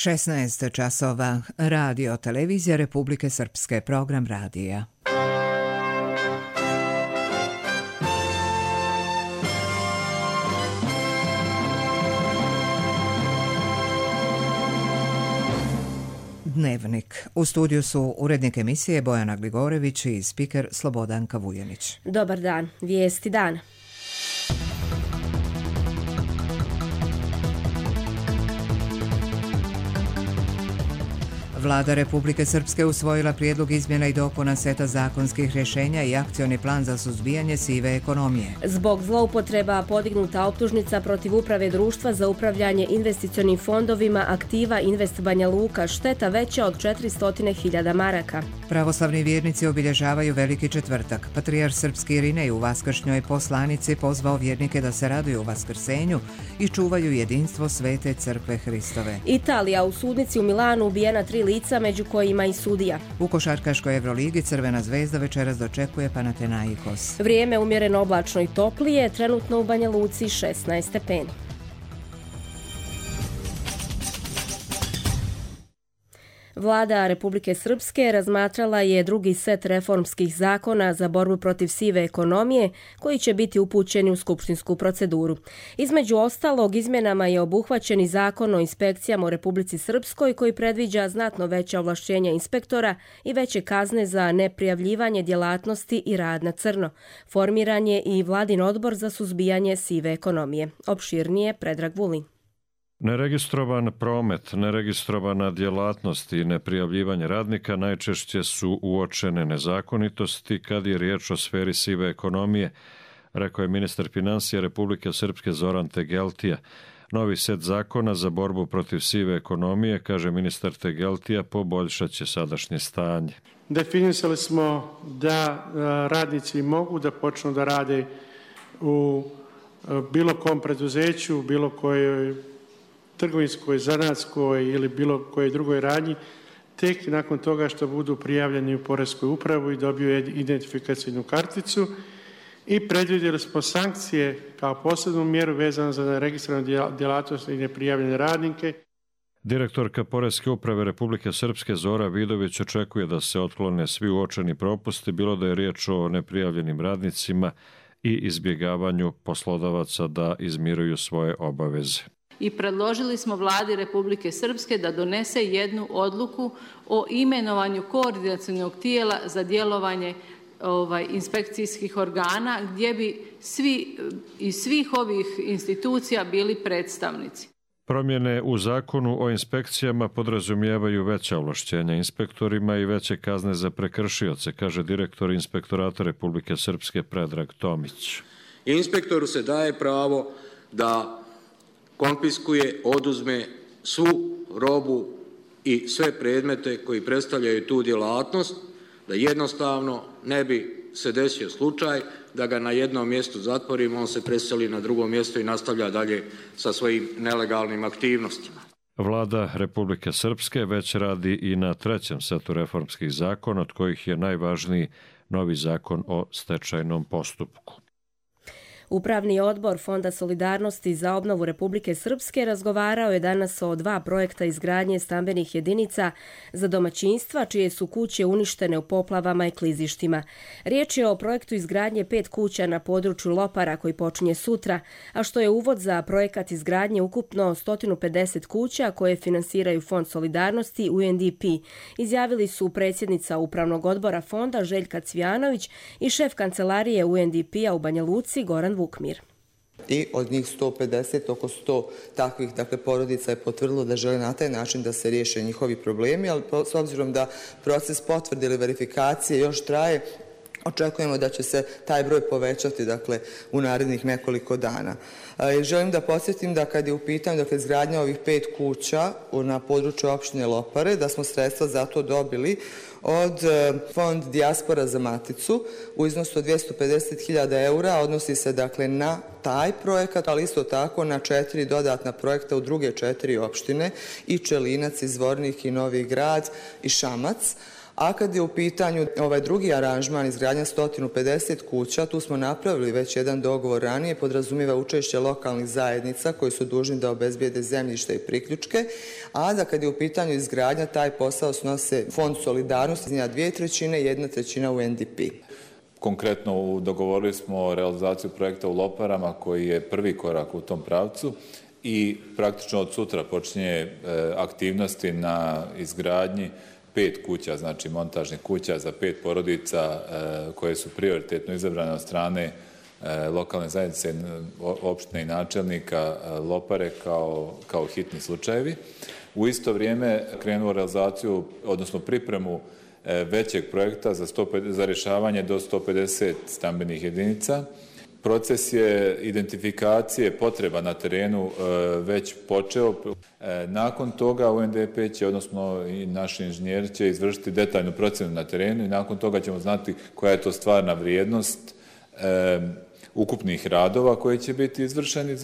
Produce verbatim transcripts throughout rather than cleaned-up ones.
šesnaest časova. Radio televizija Republike Srpske, program radija. Dnevnik. U studiju su urednik emisije Bojana Gligorević i spiker Slobodanka Vujanić. Dobar dan. Vijesti dana. Vlada Republike Srpske usvojila prijedlog izmjena i dopuna seta zakonskih rješenja i akcioni plan za suzbijanje sive ekonomije. Zbog zloupotreba podignuta optužnica protiv uprave društva za upravljanje investicionim fondovima aktiva Invest Banja Luka, šteta veća od četiristo hiljada maraka. Pravoslavni vjernici obilježavaju Veliki četvrtak. Patrijarh srpski Irinej u vaskršnjoj poslanici pozvao vjernike da se raduju vaskrsenju i čuvaju jedinstvo Svete crkve Hristove. Italija, u sudnici u Milanu ubijena tri lica, među kojima i sudija. U košarkaškoj Evroligi Crvena zvezda večeras dočekuje Panathinaikos. Vrijeme umjereno oblačno i toplije, trenutno u Banja Luci šesnaest stepeni. Vlada Republike Srpske razmatrala je drugi set reformskih zakona za borbu protiv sive ekonomije koji će biti upućeni u skupštinsku proceduru. Između ostalog, izmjenama je obuhvaćen i zakon o inspekcijama u Republici Srpskoj koji predviđa znatno veća ovlašćenja inspektora i veće kazne za neprijavljivanje djelatnosti i rad na crno. Formiran je i vladin odbor za suzbijanje sive ekonomije. Opširnije Predrag Vulin. Neregistrovan promet, neregistrovana djelatnost i neprijavljivanje radnika najčešće su uočene nezakonitosti kad je riječ o sferi sive ekonomije, rekao je ministar financija Republike Srpske Zoran Tegeltija. Novi set zakona za borbu protiv sive ekonomije, kaže ministar Tegeltija, poboljšat će sadašnje stanje. Definisali smo da radnici mogu da počnu da rade u bilo kom preduzeću, bilo kojoj trgovinskoj, zanatskoj ili bilo kojoj drugoj radnji, tek nakon toga što budu prijavljeni u poreskoj upravu i dobiju identifikacijnu karticu, i predvidjeli smo sankcije kao posebnu mjeru vezanu za neregistrovanu djelatnost i neprijavljene radnike. Direktorka Poreske uprave Republike Srpske Zora Vidović očekuje da se otklone svi uočeni propusti, bilo da je riječ o neprijavljenim radnicima i izbjegavanju poslodavaca da izmiruju svoje obaveze. I predložili smo Vladi Republike Srpske da donese jednu odluku o imenovanju koordinacionog tijela za djelovanje ovaj, inspekcijskih organa gdje bi svi iz svih ovih institucija bili predstavnici. Promjene u zakonu o inspekcijama podrazumijevaju veća ovlašćenja inspektorima i veće kazne za prekršioce, kaže direktor Inspektorata Republike Srpske Predrag Tomić. Inspektoru se daje pravo da konfiskuje, oduzme svu robu i sve predmete koji predstavljaju tu djelatnost, da jednostavno ne bi se desio slučaj da ga na jednom mjestu zatvorimo, on se preseli na drugo mjesto i nastavlja dalje sa svojim nelegalnim aktivnostima. Vlada Republike Srpske već radi i na trećem setu reformskih zakona, od kojih je najvažniji novi zakon o stečajnom postupku. Upravni odbor Fonda solidarnosti za obnovu Republike Srpske razgovarao je danas o dva projekta izgradnje stambenih jedinica za domaćinstva čije su kuće uništene u poplavama i klizištima. Riječ je o projektu izgradnje pet kuća na području Lopara koji počinje sutra, a što je uvod za projekat izgradnje ukupno sto pedeset kuća koje finansiraju Fond solidarnosti U N D P. Izjavili su predsjednica Upravnog odbora Fonda Željka Cvijanović i šef kancelarije U N D P-a u Banja Luci Goran Vukmir. I od njih sto pedeset, oko sto takvih dakle, porodica je potvrdilo da žele na taj način da se riješe njihovi problemi, ali s obzirom da proces potvrde ili verifikacije još traje, očekujemo da će se taj broj povećati dakle, u narednih nekoliko dana. E, želim da podsjetim da kad je u pitanju dakle, izgradnja ovih pet kuća na području opštine Lopare, da smo sredstva za to dobili od Fond Dijaspora za Maticu u iznosu od dvjesto pedeset hiljada eura, odnosi se dakle na taj projekat, ali isto tako na četiri dodatna projekta u druge četiri opštine, i Čelinac, i Zvornik, i Novi Grad, i Šamac. A kad je u pitanju ovaj drugi aranžman izgradnja sto pedeset kuća, tu smo napravili već jedan dogovor ranije, podrazumijeva učešće lokalnih zajednica koji su dužni da obezbijede zemljište i priključke, a da kad je u pitanju izgradnja, taj posao snose Fond solidarnosti, njena dvije trećine i jedna trećina u N D P. Konkretno dogovorili smo realizaciju projekta u Loparama koji je prvi korak u tom pravcu i praktično od sutra počinje aktivnosti na izgradnji pet kuća, znači montažnih kuća za pet porodica koje su prioritetno izabrane od strane lokalne zajednice, opštine i načelnika Lopare kao, kao hitni slučajevi. U isto vrijeme krenuo realizaciju, odnosno pripremu većeg projekta za, sto, za rješavanje do sto pedeset stambenih jedinica. Proces je identifikacije potreba na terenu već počeo. Nakon toga U N D P će, odnosno i naši inženjeri će izvršiti detaljnu procjenu na terenu i nakon toga ćemo znati koja je to stvarna vrijednost ukupnih radova koji će biti izvršeni.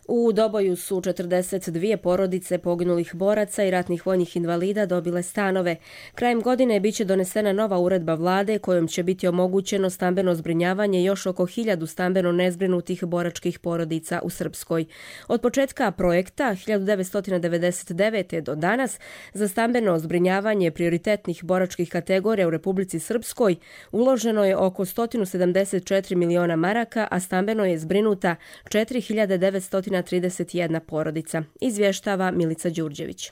U Doboju su četrdeset dvije porodice poginulih boraca i ratnih vojnih invalida dobile stanove. Krajem godine biće donesena nova uredba vlade kojom će biti omogućeno stambeno zbrinjavanje još oko hiljadu stambeno nezbrinutih boračkih porodica u Srpskoj. Od početka projekta hiljadu devetsto devedeset devete. do danas za stambeno zbrinjavanje prioritetnih boračkih kategorija u Republici Srpskoj uloženo je oko sto sedamdeset četiri miliona maraka, a stambeno je zbrinuta četiri hiljade devetsto trideset jedna porodica, izvještava Milica Đurđević.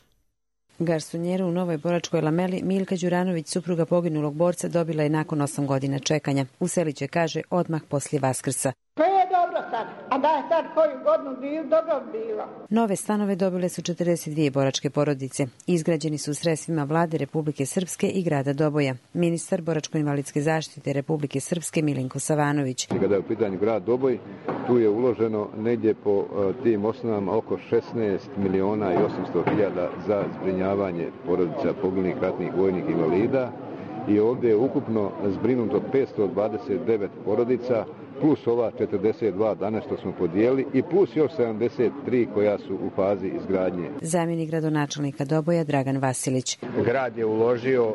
Garsonjeru u Novoj Boračkoj Lameli Milka Đuranović, supruga poginulog borca, dobila je nakon osam godina čekanja. Useliće, kaže, odmah poslije Vaskrsa. To je dobro sad, a da je sad koju godinu bilo, dobro bilo. Nove stanove dobile su četrdeset dvije boračke porodice. Izgrađeni su sredstvima vlade Republike Srpske i grada Doboja. Ministar boračko-invalidske zaštite Republike Srpske Milinko Savanović. Kada je u pitanju grad Doboj, tu je uloženo negdje po tim osnovama oko šesnaest miliona i osamsto hiljada za zbrinjavanje porodica poginulih ratnih vojnih invalida i ovdje je ukupno zbrinuto petsto dvadeset devet porodica, plus ova četrdeset dva danas što smo podijelili i plus još sedamdeset tri koja su u fazi izgradnje. Zamjenik gradonačelnika Doboja Dragan Vasilić. Grad je uložio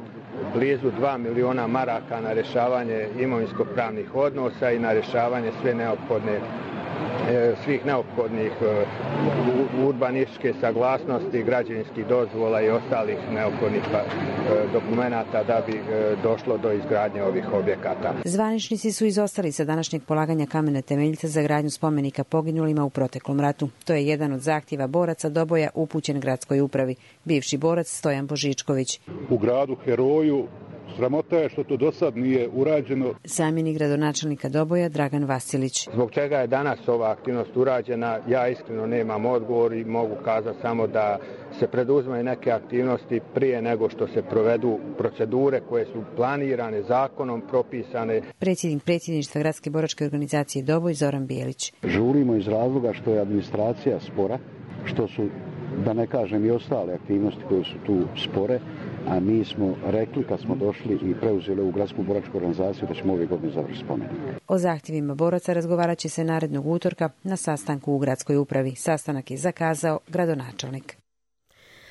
blizu dva miliona maraka na rješavanje imovinsko-pravnih odnosa i na rješavanje sve neophodne svih neophodnih urbanističke saglasnosti, građevinskih dozvola i ostalih neophodnih dokumenata da bi došlo do izgradnje ovih objekata. Zvaničnici su izostali sa današnjeg polaganja kamene temeljca za gradnju spomenika poginulima u proteklom ratu. To je jedan od zahtjeva boraca Doboja upućen gradskoj upravi. Bivši borac Stojan Božičković. U gradu heroju sramota je što to do sad nije urađeno. Zamjenik gradonačelnika Doboja Dragan Vasilić. Zbog čega je danas ova aktivnost urađena, ja iskreno nemam odgovor i mogu kazati samo da se preduzmaju neke aktivnosti prije nego što se provedu procedure koje su planirane, zakonom propisane. Predsjednik predsjedništva Gradske boračke organizacije Doboj Zoran Bijelić. Žurimo iz razloga što je administracija spora, što su, da ne kažem, i ostale aktivnosti koje su tu spore, a mi smo rekli kad smo došli i preuzeli u Gradsku boračku organizaciju da ćemo ove godine završiti spomenik. O zahtjevima boraca razgovarat će se narednog utorka na sastanku u gradskoj upravi. Sastanak je zakazao gradonačelnik.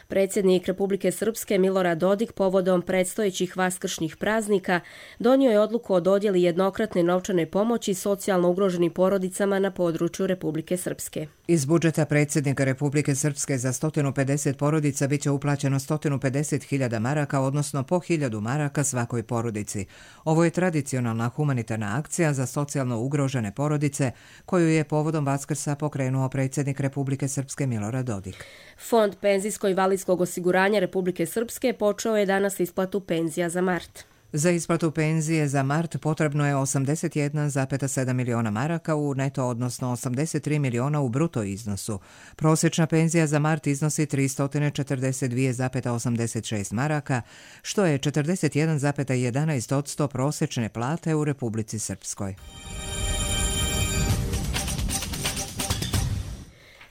Predsjednik Republike Srpske Milorad Dodik povodom predstojećih vaskršnjih praznika donio je odluku o dodjeli jednokratne novčane pomoći socijalno ugroženim porodicama na području Republike Srpske. Iz budžeta predsjednika Republike Srpske za sto pedeset porodica biće uplaćeno sto pedeset hiljada maraka, odnosno po hiljadu maraka svakoj porodici. Ovo je tradicionalna humanitarna akcija za socijalno ugrožene porodice koju je povodom Vaskrsa pokrenuo predsjednik Republike Srpske Milorad Dodik. Fond penzijsko-invalidskog osiguranja Republike Srpske počeo je danas isplatu penzija za mart. Za isplatu penzije za mart potrebno je osamdeset jedan zarez sedam miliona maraka u neto, odnosno osamdeset tri miliona u bruto iznosu. Prosječna penzija za mart iznosi tristo četrdeset dva zarez osamdeset šest maraka, što je četrdeset jedan zarez jedanaest posto prosječne plate u Republici Srpskoj.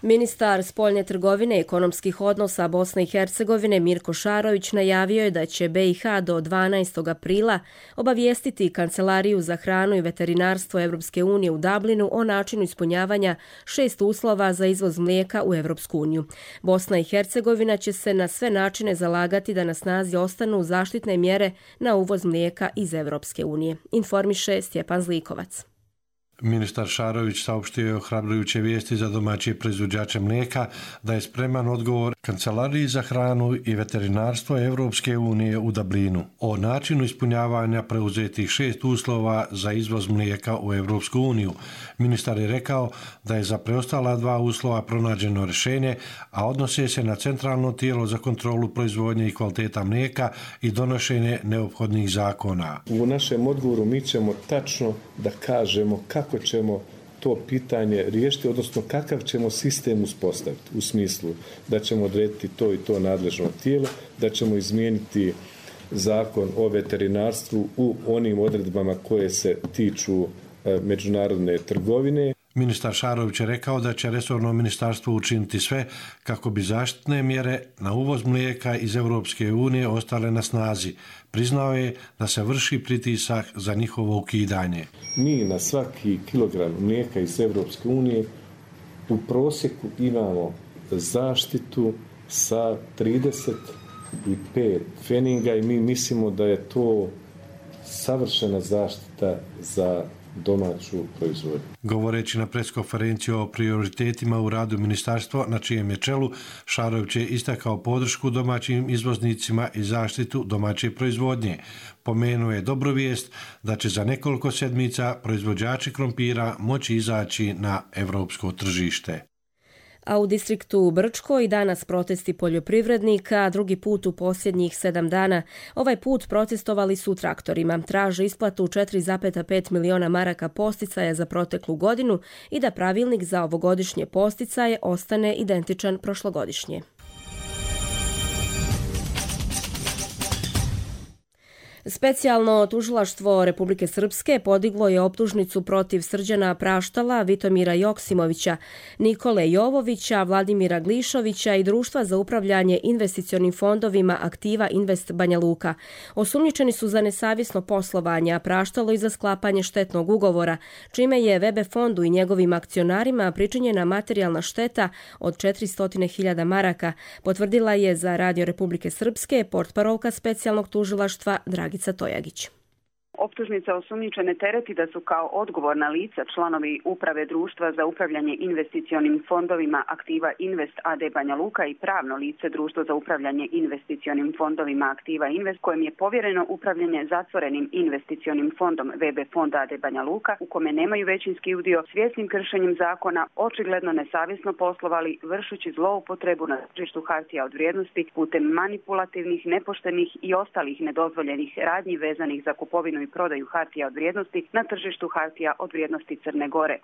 Ministar spoljne trgovine i ekonomskih odnosa Bosne i Hercegovine Mirko Šarović najavio je da će B i H do dvanaestog aprila obavijestiti Kancelariju za hranu i veterinarstvo Evropske unije u Dublinu o načinu ispunjavanja šest uslova za izvoz mlijeka u Evropsku uniju. Bosna i Hercegovina će se na sve načine zalagati da na snazi ostanu zaštitne mjere na uvoz mlijeka iz Evropske unije, informiše Stjepan Zlikovac. Ministar Šarović saopštio je ohrabrujuće vijesti za domaće proizvođače mlijeka da je spreman odgovor Kancelariji za hranu i veterinarstvo Evropske unije u Dublinu o načinu ispunjavanja preuzetih šest uslova za izvoz mlijeka u Evropsku uniju. Ministar je rekao da je za preostala dva uslova pronađeno rješenje, a odnose se na centralno tijelo za kontrolu proizvodnje i kvaliteta mlijeka i donošenje neophodnih zakona. U našem odgovoru mi ćemo tačno da kažemo kako kako ćemo to pitanje riješiti, odnosno kakav ćemo sistem uspostaviti, u smislu da ćemo odrediti to i to nadležno tijelo, da ćemo izmijeniti zakon o veterinarstvu u onim odredbama koje se tiču međunarodne trgovine. Ministar Šarović je rekao da će resorno ministarstvo učiniti sve kako bi zaštitne mjere na uvoz mlijeka iz Evropske unije ostale na snazi. Priznao je da se vrši pritisak za njihovo ukidanje. Mi na svaki kilogram mlijeka iz Evropske unije u prosjeku imamo zaštitu sa trideset pet pfeninga i mi mislimo da je to savršena zaštita za domaću proizvodnju. Govoreći na preskonferenciju o prioritetima u radu ministarstva na čijem je čelu, Šarović je istakao podršku domaćim izvoznicima i zaštitu domaće proizvodnje. Pomenuo je dobru vijest da će za nekoliko sedmica proizvođači krompira moći izaći na evropsko tržište. A u distriktu Brčko i danas protesti poljoprivrednika, drugi put u posljednjih sedam dana. Ovaj put protestovali su traktorima, traže isplatu četiri zarez pet miliona maraka posticaja za proteklu godinu i da pravilnik za ovogodišnje posticaje ostane identičan prošlogodišnje. Specijalno tužilaštvo Republike Srpske podiglo je optužnicu protiv Srđana Praštala, Vitomira Joksimovića, Nikole Jovovića, Vladimira Glišovića i Društva za upravljanje investicionim fondovima Aktiva Invest Banja Luka. Osumnjičeni su za nesavjesno poslovanje, a Praštalo i za sklapanje štetnog ugovora, čime je V B fondu i njegovim akcionarima pričinjena materijalna šteta od četiristo hiljada maraka, potvrdila je za Radio Republike Srpske portparolka specijalnog tužilaštva Dragica Tojagić. Optužnica osumnjičene tereti da su kao odgovorna lica članovi uprave Društva za upravljanje investicionim fondovima Aktiva Invest A D Banja Luka i pravno lice Društvo za upravljanje investicionim fondovima Aktiva Invest, kojem je povjereno upravljanje zatvorenim investicionim fondom V B fonda A D Banja Luka, u kome nemaju većinski udio, svjesnim kršenjem zakona, očigledno nesavjesno poslovali, vršući zloupotrebu na tržištu hartija od vrijednosti putem manipulativnih, nepoštenih i ostalih nedozvoljenih radnji vezanih za kupovinu i prodaju hartija od vrijednosti na tržištu hartija od vrijednosti Crne Gore.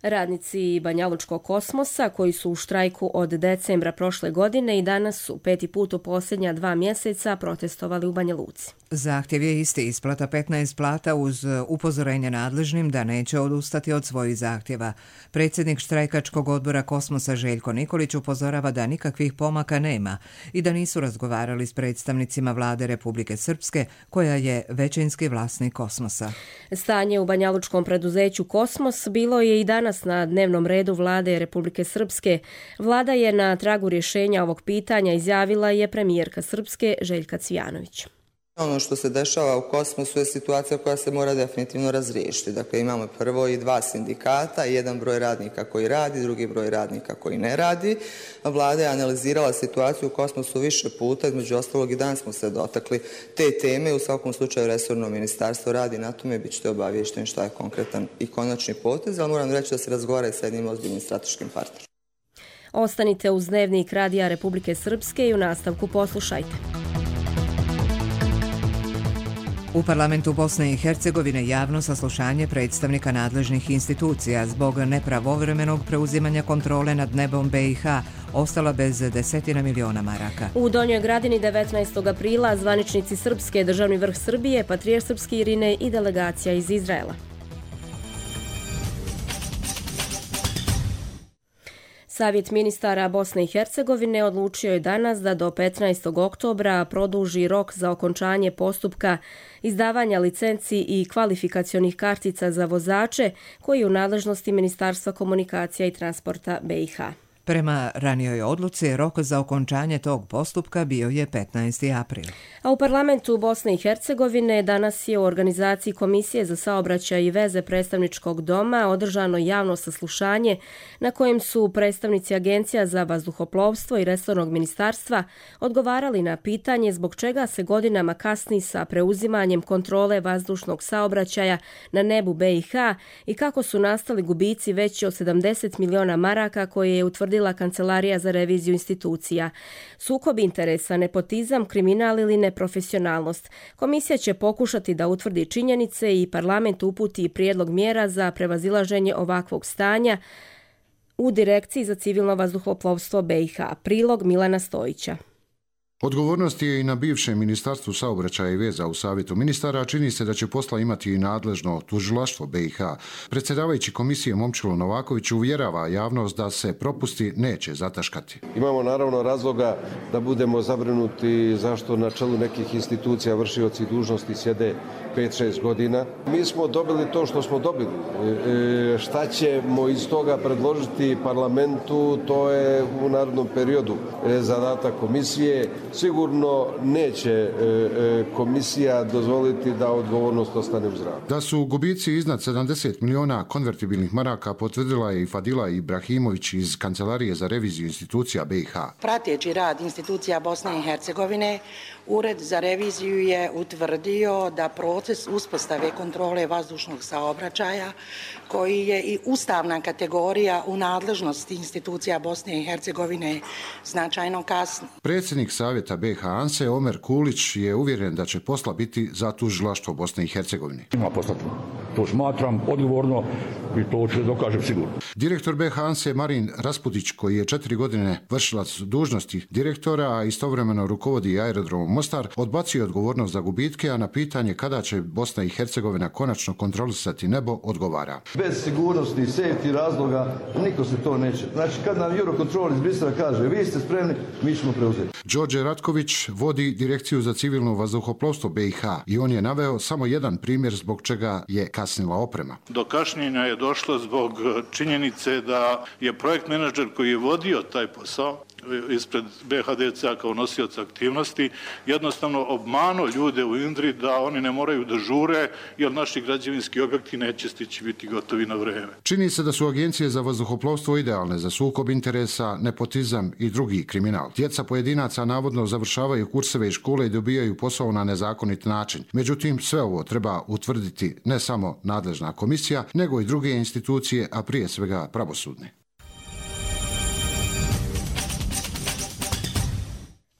Radnici Banjalučkog kosmosa koji su u štrajku od decembra prošle godine i danas su peti put u posljednja dva mjeseca protestovali u Banja Luci. Zahtjev je isti, isplata petnaest plata uz upozorenje nadležnim da neće odustati od svojih zahtjeva. Predsjednik štrajkačkog odbora Kosmosa Željko Nikolić upozorava da nikakvih pomaka nema i da nisu razgovarali s predstavnicima vlade Republike Srpske, koja je većinski vlasnik Kosmosa. Stanje u banjalučkom preduzeću Kosmos bilo je i danas na dnevnom redu vlade Republike Srpske. Vlada je na tragu rješenja ovog pitanja, izjavila je premijerka Srpske Željka Cvijanović. Ono što se dešava u Kosmosu je situacija koja se mora definitivno razriješiti. Dakle, imamo prvo i dva sindikata, jedan broj radnika koji radi, drugi broj radnika koji ne radi. Vlada je analizirala situaciju u Kosmosu više puta, između ostalog i danas smo se dotakli te teme. U svakom slučaju resorno ministarstvo radi na tome, bit ćete obavješteni šta je konkretan i konačni potez, ali moram reći da se razgovara i sa jednim ozbiljnim strateškim partnerom. Ostanite uz Dnevnik Radija Republike Srpske i u nastavku poslušajte. U parlamentu Bosne i Hercegovine javno saslušanje predstavnika nadležnih institucija zbog nepravovremenog preuzimanja kontrole nad nebom B i H ostala bez desetina miliona maraka. U Donjoj Gradini devetnaestog aprila zvaničnici Srpske, državni vrh Srbije, patrijarh srpski Irinej i delegacija iz Izraela. Savjet ministara Bosne i Hercegovine odlučio je danas da do petnaestog oktobra produži rok za okončanje postupka izdavanja licenci i kvalifikacionih kartica za vozače koji je u nadležnosti Ministarstva komunikacija i transporta be i ha. Prema ranijoj odluci, rok za okončanje tog postupka bio je petnaesti april. A u parlamentu Bosne i Hercegovine danas je u organizaciji Komisije za saobraćaj i veze predstavničkog doma održano javno saslušanje na kojem su predstavnici Agencija za vazduhoplovstvo i resornog ministarstva odgovarali na pitanje zbog čega se godinama kasni sa preuzimanjem kontrole vazdušnog saobraćaja na nebu be i ha i kako su nastali gubici veći od sedamdeset miliona maraka koje je utvrdila Kancelarija za reviziju institucija. Sukob interesa, nepotizam, kriminal ili neprofesionalnost. Komisija će pokušati da utvrdi činjenice i parlament uputi prijedlog mjera za prevazilaženje ovakvog stanja u Direkciji za civilno vazduhoplovstvo be i ha. Prilog Milana Stojića. Odgovornost je i na bivšem Ministarstvu saobraćaja i veza u Savjetu ministara, čini se da će posla imati i nadležno tužilaštvo be i ha. Predsjedavajući komisije Momčilo Novaković uvjerava javnost da se propusti neće zataškati. Imamo naravno razloga da budemo zabrinuti zašto na čelu nekih institucija vršioci dužnosti sjede pet šest godina. Mi smo dobili to što smo dobili. E, šta ćemo iz toga predložiti parlamentu, to je u narednom periodu e, zadatak komisije. Sigurno neće e, e, komisija dozvoliti da odgovornost ostane u zraku. Da su gubici iznad sedamdeset miliona konvertibilnih maraka potvrdila je i Fadila Ibrahimović iz Kancelarije za reviziju institucija be i ha. Prateći rad institucija Bosne i Hercegovine, Ured za reviziju je utvrdio da proces uspostave kontrole vazdušnog saobraćaja, koji je i ustavna kategorija u nadležnosti institucija Bosne i Hercegovine, značajno kasni. Predsjednik Savjeta be i ha Anse Omer Kulić je uvjeren da će posla biti za tužilaštvo Bosne i Hercegovine. Ima posla, to smatram odgovorno i to će dokažem sigurno. Direktor be i ha Anse Marin Rasputić, koji je četiri godine vršilac dužnosti direktora, a istovremeno rukovodi aerodromom Mostar, odbacio odgovornost za gubitke, a na pitanje kada će Bosna i Hercegovina konačno kontrolisati nebo, odgovara. Bez sigurnosti i safety razloga niko se to neće. Znači, kad nam Eurocontrol iz Brisela kaže vi ste spremni, mi ćemo preuzeti. Đorđe Ratković vodi Direkciju za civilno vazduhoplovstvo be i ha i on je naveo samo jedan primjer zbog čega je kasnila oprema. Do kašnjenja je došlo zbog činjenice da je projekt menadžer koji je vodio taj posao ispred be ha de ce kao nosioca aktivnosti jednostavno obmanuo ljude u Indri da oni ne moraju da žure jer naši građevinski objekti neće stići biti gotovi na vreme. Čini se da su agencije za vazduhoplovstvo idealne za sukob interesa, nepotizam i drugi kriminal. Djeca pojedinaca navodno završavaju kurseve i škole i dobijaju posao na nezakonit način. Međutim, sve ovo treba utvrditi ne samo nadležna komisija, nego i druge institucije, a prije svega pravosudne.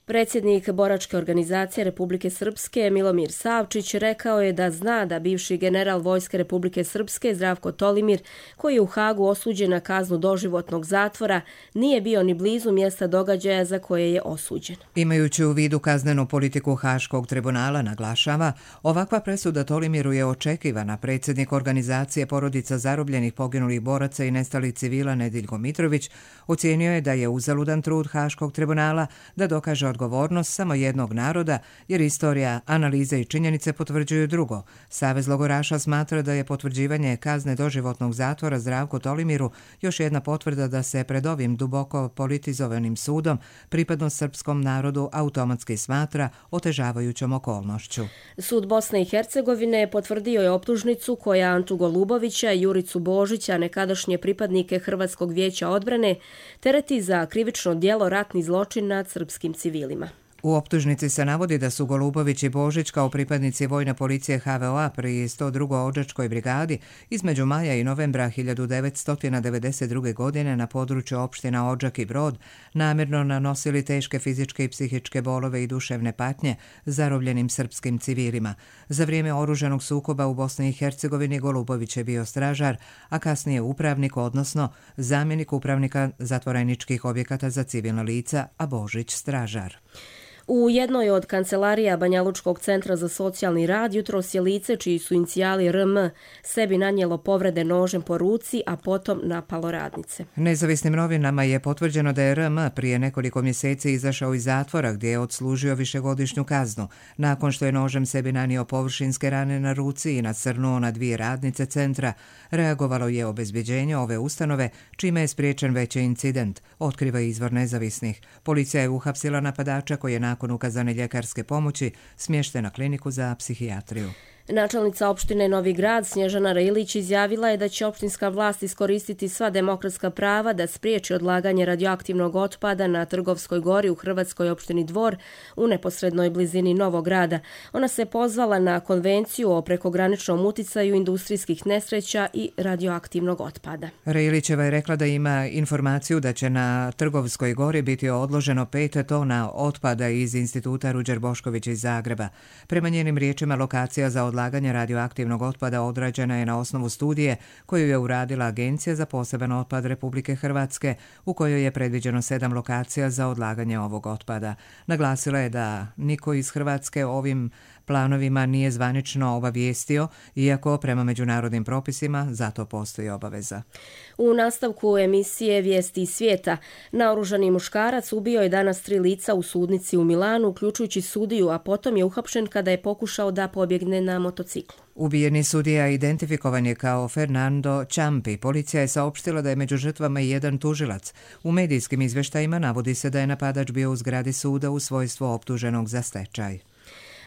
Predsjednik boračke organizacije Republike Srpske Milomir Savčić rekao je da zna da bivši general Vojske Republike Srpske Zdravko Tolimir, koji je u Hagu osuđen na kaznu doživotnog zatvora, nije bio ni blizu mjesta događaja za koje je osuđen. Imajući u vidu kaznenu politiku Haškog tribunala, naglašava, ovakva presuda Tolimiru je očekivana. Predsjednik organizacije porodica zarobljenih poginulih boraca i nestalih civila Nediljko Mitrović ocijenio je da je uzaludan trud Haškog tribunala da dokaže odgovornost samo jednog naroda, jer istorija, analize i činjenice potvrđuju drugo. Savez logoraša smatra da je potvrđivanje kazne doživotnog zatvora Zdravku Tolimiru još jedna potvrda da se pred ovim duboko politizovanim sudom pripadnost srpskom narodu automatski smatra otežavajućom okolnošću. Sud Bosne i Hercegovine potvrdio je optužnicu koja Antu Golubovića i Juricu Božića, nekadašnje pripadnike Hrvatskog vijeća odbrane, tereti za krivično djelo ratni zločin nad srpskim civilima. U optužnici se navodi da su Golubović i Božić kao pripadnici vojne policije ha ve o-a pri sto drugoj odžačkoj brigadi između maja i novembra hiljadu devetsto devedeset druge. godine na području opština Odžak i Brod namjerno nanosili teške fizičke i psihičke bolove i duševne patnje zarobljenim srpskim civilima. Za vrijeme oružanog sukoba u Bosni i Hercegovini Golubović je bio stražar, a kasnije upravnik, odnosno zamjenik upravnika zatvoreničkih objekata za civilna lica, a Božić stražar. U jednoj od kancelarija Banjalučkog centra za socijalni rad jutros je lice čiji su inicijali R M sebi nanijelo povrede nožem po ruci, a potom napalo radnice. Nezavisnim novinama je potvrđeno da je R M prije nekoliko mjeseci izašao iz zatvora gdje je odslužio višegodišnju kaznu, nakon što je nožem sebi nanio površinske rane na ruci i nacrnuo na dvije radnice centra. Reagovalo je obezbjeđenje ove ustanove, čime je spriječen veći incident, otkriva izvor Nezavisnih. Policija je uhapsila napadača koji je nakon ukazane ljekarske pomoći smješten na kliniku za psihijatriju. Načelnica opštine Novi Grad Snježana Rilić izjavila je da će opštinska vlast iskoristiti sva demokratska prava da spriječi odlaganje radioaktivnog otpada na Trgovskoj gori u Hrvatskoj opštini Dvor u neposrednoj blizini Novog Grada. Ona se pozvala na konvenciju o prekograničnom uticaju industrijskih nesreća i radioaktivnog otpada. Rilićeva je rekla da ima informaciju da će na Trgovskoj gori biti odloženo pet tona otpada iz Instituta Ruđer Bošković iz Zagreba. Prema njenim riječima, lokacija za odlaganje radioaktivnog otpada odrađena je na osnovu studije koju je uradila Agencija za poseban otpad Republike Hrvatske, u kojoj je predviđeno sedam lokacija za odlaganje ovog otpada. Naglasila je da niko iz Hrvatske ovim planovima nije zvanično obavijestio, iako prema međunarodnim propisima zato postoji obaveza. U nastavku emisije Vijesti iz svijeta, naoružani muškarac ubio je danas tri lica u sudnici u Milanu, uključujući sudiju, a potom je uhapšen kada je pokušao da pobjegne na motociklu. Ubijeni sudija identifikovan je kao Fernando Ciampi. Policija je saopštila da je među žrtvama i jedan tužilac. U medijskim izvještajima navodi se da je napadač bio u zgradi suda u svojstvu optuženog za stečaj.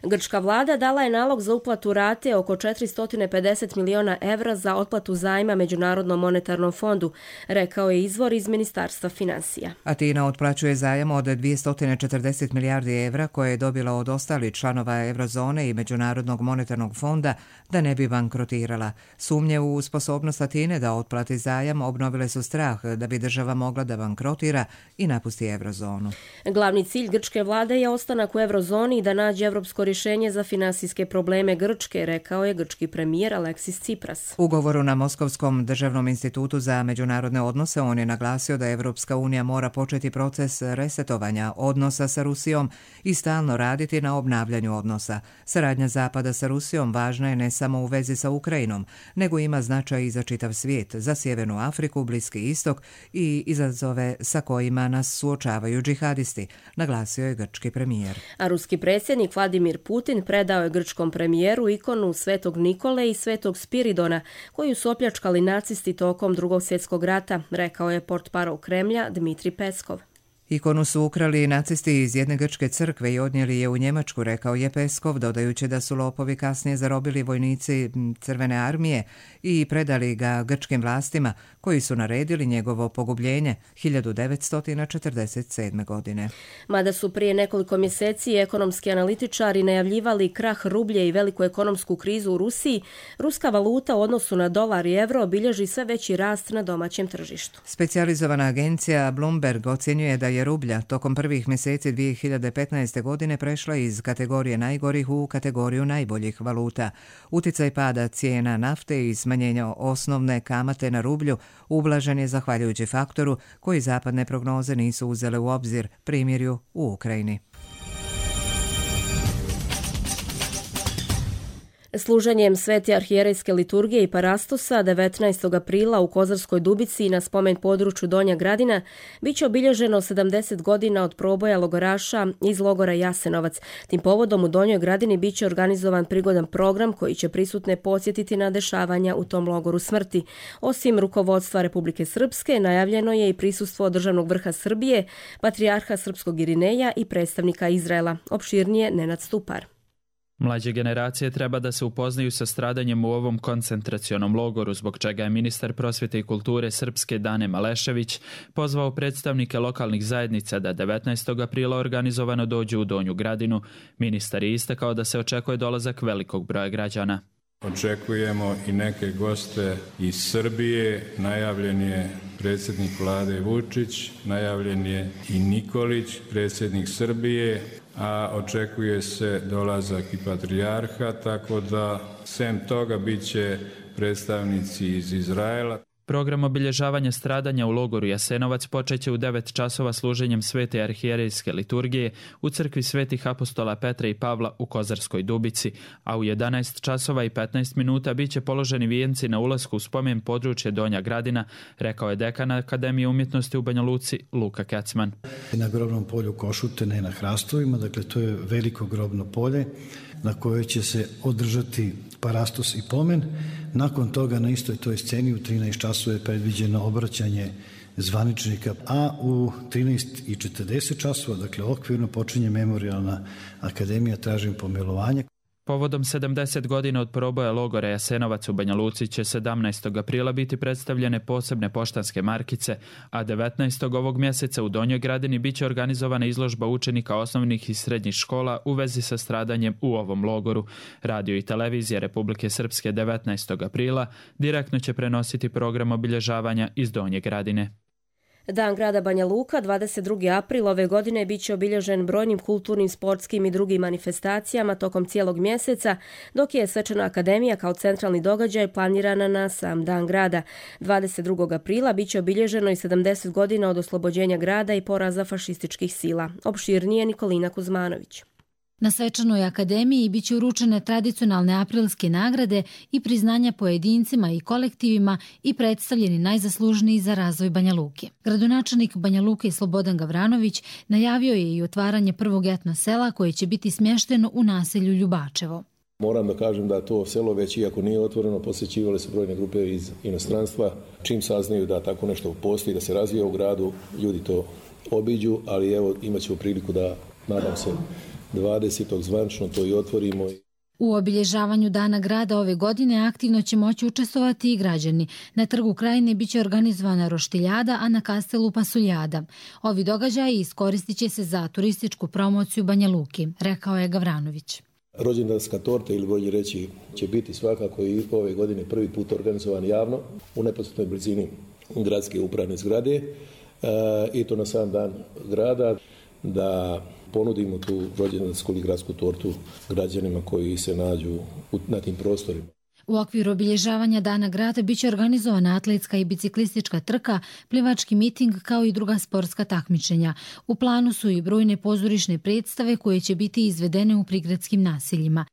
Grčka vlada dala je nalog za uplatu rate oko četiristo pedeset miliona evra za otplatu zajma Međunarodnom monetarnom fondu, rekao je izvor iz Ministarstva financija. Atina otplaćuje zajam od dvjesto četrdeset milijardi evra koje je dobila od ostalih članova Eurozone i Međunarodnog monetarnog fonda da ne bi bankrotirala. Sumnje u sposobnost Atine da otplati zajam obnovile su strah da bi država mogla da bankrotira i napusti Eurozonu. Glavni cilj grčke vlade je ostanak u Eurozoni i da nađe evropsko rješenje za finansijske probleme Grčke, rekao je grčki premijer Aleksis Tsipras. U govoru na Moskovskom državnom institutu za međunarodne odnose on je naglasio da Evropska unija mora početi proces resetovanja odnosa sa Rusijom i stalno raditi na obnavljanju odnosa. Saradnja Zapada sa Rusijom važna je ne samo u vezi sa Ukrajinom, nego ima značaj i za čitav svijet, za Sjevernu Afriku, Bliski istok i izazove sa kojima nas suočavaju džihadisti, naglasio je grčki premijer. A ruski predsjednik Vladimir Putin predao je grčkom premijeru ikonu Svetog Nikole i Svetog Spiridona, koju su opljačkali nacisti tokom Drugog svjetskog rata, rekao je portparol Kremlja Dmitri Peskov. Ikonu su ukrali nacisti iz jedne grčke crkve i odnijeli je u Njemačku, rekao je Peskov, dodajući da su lopovi kasnije zarobili vojnici Crvene armije i predali ga grčkim vlastima, koji su naredili njegovo pogubljenje hiljadu devetsto četrdeset sedme. godine. Mada su prije nekoliko mjeseci ekonomski analitičari najavljivali krah rublje i veliku ekonomsku krizu u Rusiji, ruska valuta u odnosu na dolar i euro bilježi sve veći rast na domaćem tržištu. Specijalizovana agencija Bloomberg ocjenjuje da je rublja tokom prvih mjeseci dvije hiljade petnaeste. godine prešla iz kategorije najgorih u kategoriju najboljih valuta. Uticaj pada cijena nafte i smanjenja osnovne kamate na rublju ublažen je zahvaljujući faktoru koji zapadne prognoze nisu uzele u obzir, primjerju u Ukrajini. Služenjem Svete arhijerejske liturgije i parastosa devetnaestog aprila u Kozarskoj Dubici na spomen području Donja Gradina biće obilježeno sedamdeset godina od proboja logoraša iz logora Jasenovac. Tim povodom u Donjoj Gradini biće organizovan prigodan program koji će prisutne podsjetiti na dešavanja u tom logoru smrti. Osim rukovodstva Republike Srpske, najavljeno je i prisustvo državnog vrha Srbije, patrijarha srpskog Irineja i predstavnika Izraela. Opširnije Nenad Stupar. Mlađe generacije treba da se upoznaju sa stradanjem u ovom koncentracionom logoru, zbog čega je ministar prosvjete i kulture Srpske Dane Malešević pozvao predstavnike lokalnih zajednica da devetnaestog aprila organizovano dođu u Donju Gradinu. Ministar je istakao da se očekuje dolazak velikog broja građana. Očekujemo i neke goste iz Srbije, najavljen je predsjednik vlade Vučić, najavljen je i Nikolić, predsjednik Srbije, a očekuje se dolazak i patrijarha, tako da sem toga bit će predstavnici iz Izraela. Program obilježavanja stradanja u logoru Jasenovac počeće u devet časova služenjem svete arhijerejske liturgije u crkvi svetih apostola Petra i Pavla u Kozarskoj Dubici, a u jedanaest časova i petnaest minuta biće položeni vijenci na ulasku u spomen područje Donja Gradina, rekao je dekan Akademije umjetnosti u Banja Luci Luka Kecman. Na grobnom polju Košute, ne na hrastovima, dakle to je veliko grobno polje na kojoj će se održati parastos i pomen. Nakon toga na istoj toj sceni u trinaest časova je predviđeno obraćanje zvaničnika, a u trinaest i četrdeset časova, dakle okvirno, počinje Memorijalna akademija tražim pomilovanja. Povodom sedamdeset godina od proboja logora Jasenovac u Banja Luci će sedamnaestog aprila biti predstavljene posebne poštanske markice, a devetnaestog ovog mjeseca u Donjoj Gradini biće organizovana izložba učenika osnovnih i srednjih škola u vezi sa stradanjem u ovom logoru. Radio i televizija Republike Srpske devetnaestog aprila direktno će prenositi program obilježavanja iz Donje Gradine. Dan grada Banja Luka, dvadeset drugi april ove godine, bit će obilježen brojnim kulturnim, sportskim i drugim manifestacijama tokom cijelog mjeseca, dok je Svečana akademija kao centralni događaj planirana na sam dan grada. dvadeset drugog aprila bit će obilježeno i sedamdeset godina od oslobođenja grada i poraza fašističkih sila. Opširnije Nikolina Kuzmanović. Na Svečanoj akademiji biće uručene tradicionalne aprilske nagrade i priznanja pojedincima i kolektivima i predstavljeni najzaslužniji za razvoj Banja Luke. Gradonačelnik Banja Luke Slobodan Gavranović najavio je i otvaranje prvog etno sela koje će biti smješteno u naselju Ljubačevo. Moram da kažem da to selo već, iako nije otvoreno, posjećivale su brojne grupe iz inostranstva. Čim saznaju da tako nešto postoji, da se razvija u gradu, ljudi to obiđu, ali evo imat ćemo priliku da, nadam se, dvadesetog zvanično to i otvorimo. U obilježavanju Dana grada ove godine aktivno će moći učestvovati i građani. Na Trgu Krajine biće organizovana roštiljada, a na Kastelu pasuljada. Ovi događaji iskoristit će se za turističku promociju Banja Luki, rekao je Gavranović. Rođendanska torta, ili bolje reći, će biti svakako i ove godine prvi put organizovan javno u neposrednoj blizini gradske upravne zgrade, e, i to na sam dan grada, da ponudimo tu rođendansku ili gradsku tortu građanima koji se nađu na tim prostorima. U okviru obilježavanja Dana grada biće organizovana atletska i biciklistička trka, plivački miting kao i druga sportska takmičenja. U planu su i brojne pozorišne predstave koje će biti izvedene u prigradskim naseljima.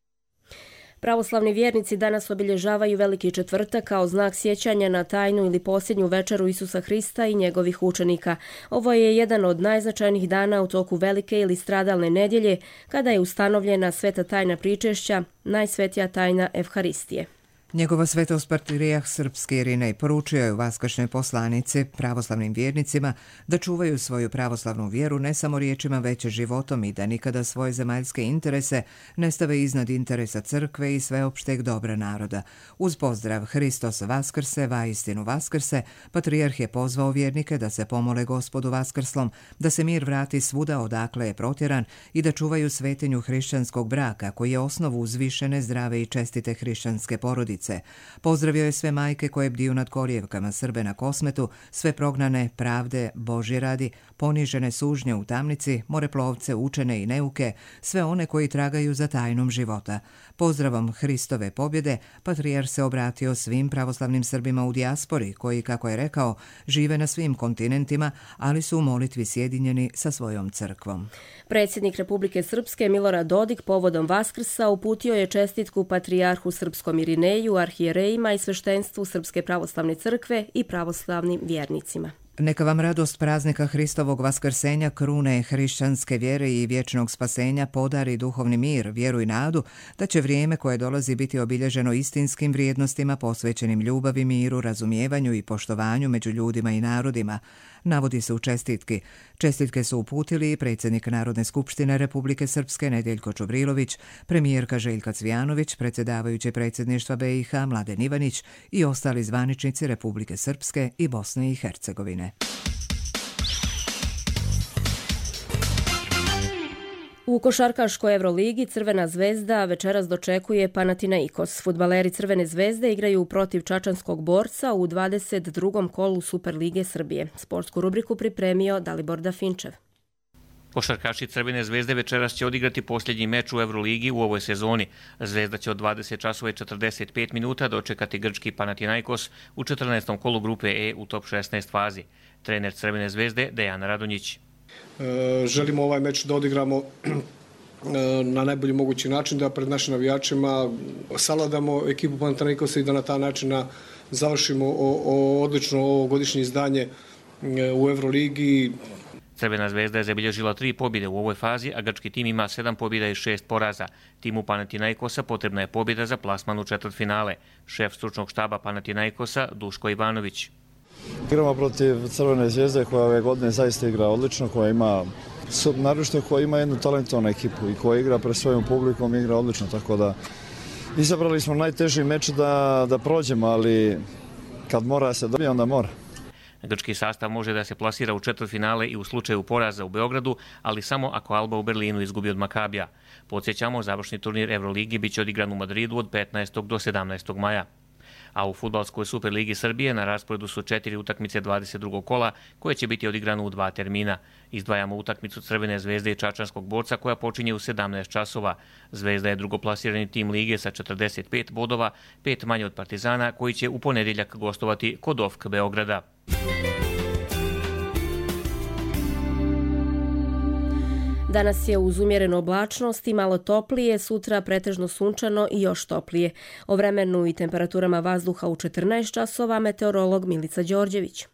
Pravoslavni vjernici danas obilježavaju Veliki četvrtak kao znak sjećanja na tajnu ili posljednju večeru Isusa Hrista i njegovih učenika. Ovo je jedan od najznačajnijih dana u toku Velike ili stradalne nedjelje, kada je ustanovljena sveta tajna pričešća, najsvetija tajna Evharistije. Njegova svetost Patrijarh Srpski Irinej poručio je u vaskršnjoj poslanici pravoslavnim vjernicima da čuvaju svoju pravoslavnu vjeru ne samo riječima već životom i da nikada svoje zemaljske interese ne stave iznad interesa crkve i sveopšteg dobra naroda. Uz pozdrav Hristos Vaskrse, vaistinu Vaskrse, Patrijarh je pozvao vjernike da se pomole Gospodu Vaskrslom, da se mir vrati svuda odakle je protjeran i da čuvaju svetinju hrišćanskog braka koji je osnovu uzvišene, zdrave i čestite hrišćanske porodice. Pozdravio je sve majke koje bdiju nad kolijevkama Srbe na Kosmetu, sve prognane pravde Božje radi, ponižene sužnje u tamnici, moreplovce, učene i neuke, sve one koji tragaju za tajnom života. Pozdravom Hristove pobjede, Patrijarh se obratio svim pravoslavnim Srbima u dijaspori, koji, kako je rekao, žive na svim kontinentima, ali su u molitvi sjedinjeni sa svojom crkvom. Predsjednik Republike Srpske Milorad Dodik povodom Vaskrsa uputio je čestitku Patrijarhu Srpskom Irineju, arhijerejima i sveštenstvu Srpske pravoslavne crkve i pravoslavnim vjernicima. Neka vam radost praznika Hristovog vaskrsenja, krune hrišćanske vjere i vječnog spasenja podari duhovni mir, vjeru i nadu da će vrijeme koje dolazi biti obilježeno istinskim vrijednostima posvećenim ljubavi, miru, razumijevanju i poštovanju među ljudima i narodima, navodi se u čestitki. Čestitke su uputili i predsjednik Narodne skupštine Republike Srpske Nedeljko Čubrilović, premijerka Željka Cvijanović, predsjedavajući predsjedništva B i H Mladen Ivanić i ostali zvaničnici Republike Srpske i Bosne i Hercegovine. U košarkaškoj Evroligi Crvena zvezda večeras dočekuje Panathinaikos. Fudbaleri Crvene zvezde igraju protiv čačanskog Borca u dvadeset drugom kolu Superlige Srbije. Sportsku rubriku pripremio Dalibor Dafinčev. Košarkaši Crvene zvezde večeras će odigrati posljednji meč u Euroligi u ovoj sezoni. Zvezda će od dvadeset časova i četrdeset pet minuta dočekati grčki Panathinaikos u četrnaestom kolu grupe E u top šesnaest fazi. Trener Crvene zvezde Dejan Radonjić. E, želimo ovaj meč da odigramo na najbolji mogući način, da pred našim navijačima savladamo ekipu Panathinaikosa i da na taj način završimo o, o odlično ovogodišnje izdanje u Euroligi. Crvena zvezda je zabilježila tri pobjede u ovoj fazi, a grčki tim ima sedam pobjeda i šest poraza. Timu Panathinaikosa potrebna je pobjeda za plasman u četvrtfinale. Šef stručnog štaba Panathinaikosa Duško Ivanović. Igramo protiv Crvene zvezde koja ove godine zaista igra odlično, koja ima naročito koja ima jednu talentovanu ekipu i koja igra pred svojom publikom, igra odlično, tako da izabrali smo najteži meč da, da prođemo, ali kad mora se dobije, onda mora. Grčki sastav može da se plasira u četvrtfinale i u slučaju poraza u Beogradu, ali samo ako Alba u Berlinu izgubi od Makabija. Podsjećamo, završni turnir Euroligi biće odigran u Madridu od petnaestog do sedamnaestog maja. A u fudbalskoj Superligi Srbije na rasporedu su četiri utakmice dvadeset drugog kola koje će biti odigrano u dva termina. Izdvajamo utakmicu Crvene zvezde i Čačanskog Borca koja počinje u sedamnaest časova. Zvezda je drugoplasirani tim lige sa četrdeset pet bodova, pet manje od Partizana koji će u ponedjeljak gostovati kod O F K Beograda. Danas je uz umjerenu oblačnost i malo toplije, sutra pretežno sunčano i još toplije. O vremenu i temperaturama vazduha u četrnaest časova meteorolog Milica Đorđević.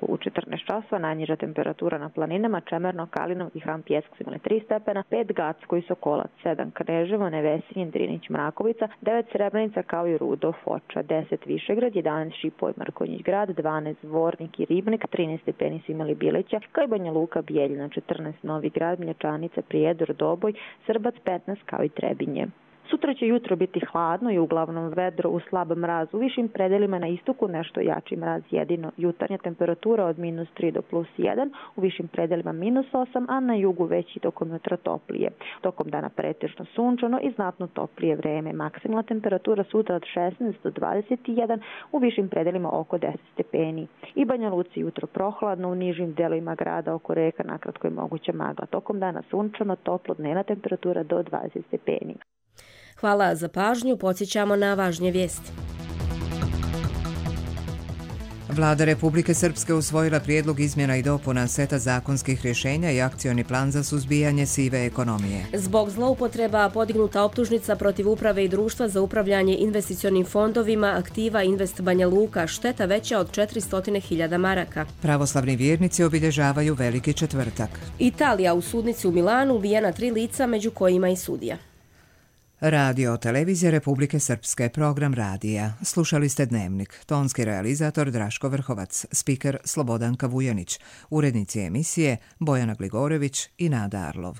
U četrnaest časova najniža temperatura na planinama Čemerno, Kalinov i Han Pjesak su imali tri stepena, pet Gacko i Sokolac, sedam Kneževo, Nevesinjen, Drinić, Mrakovica, devet Srebrenica kao i Rudo, Foča, deset Višegrad, jedanaest Šipoj, Mrkonjić grad, dvanaest Zvornik i Ribnik, trinaest stepeni su imali Bileća, kao i Banja Luka, Bijeljina, četrnaest Novi Grad, Mlječanica, Prijedor, Doboj, Srbac petnaest kao i Trebinje. Sutra će jutro biti hladno i uglavnom vedro u slab mraz. U višim predelima na istoku nešto jači mraz jedino. Jutarnja temperatura od minus tri do plus jedan, u višim predelima minus osam, a na jugu već i tokom jutra toplije. Tokom dana pretežno sunčano i znatno toplije vreme. Maksimalna temperatura sutra od šesnaest do dvadeset jedan, u višim predelima oko deset stepeni. I Banja Luci jutro prohladno, u nižim delovima grada oko reka nakratko je moguća magla. Tokom dana sunčano, toplo, dnevna temperatura do dvadeset stepeni. Hvala za pažnju, podsjećamo na važnije vijesti. Vlada Republike Srpske usvojila prijedlog izmjena i dopuna seta zakonskih rješenja i akcioni plan za suzbijanje sive ekonomije. Zbog zloupotreba podignuta optužnica protiv uprave i društva za upravljanje investicionim fondovima aktiva Invest Banja Luka, šteta veća od četiristo hiljada maraka. Pravoslavni vjernici obilježavaju Veliki četvrtak. Italija u sudnici u Milanu ubijena tri lica, među kojima i sudija. Radio Televizija Republike Srpske, program radija. Slušali ste Dnevnik. Tonski realizator Draško Vrhovac, spiker Slobodanka Vujanić, urednici emisije Bojana Gligorević i Nada Arlov.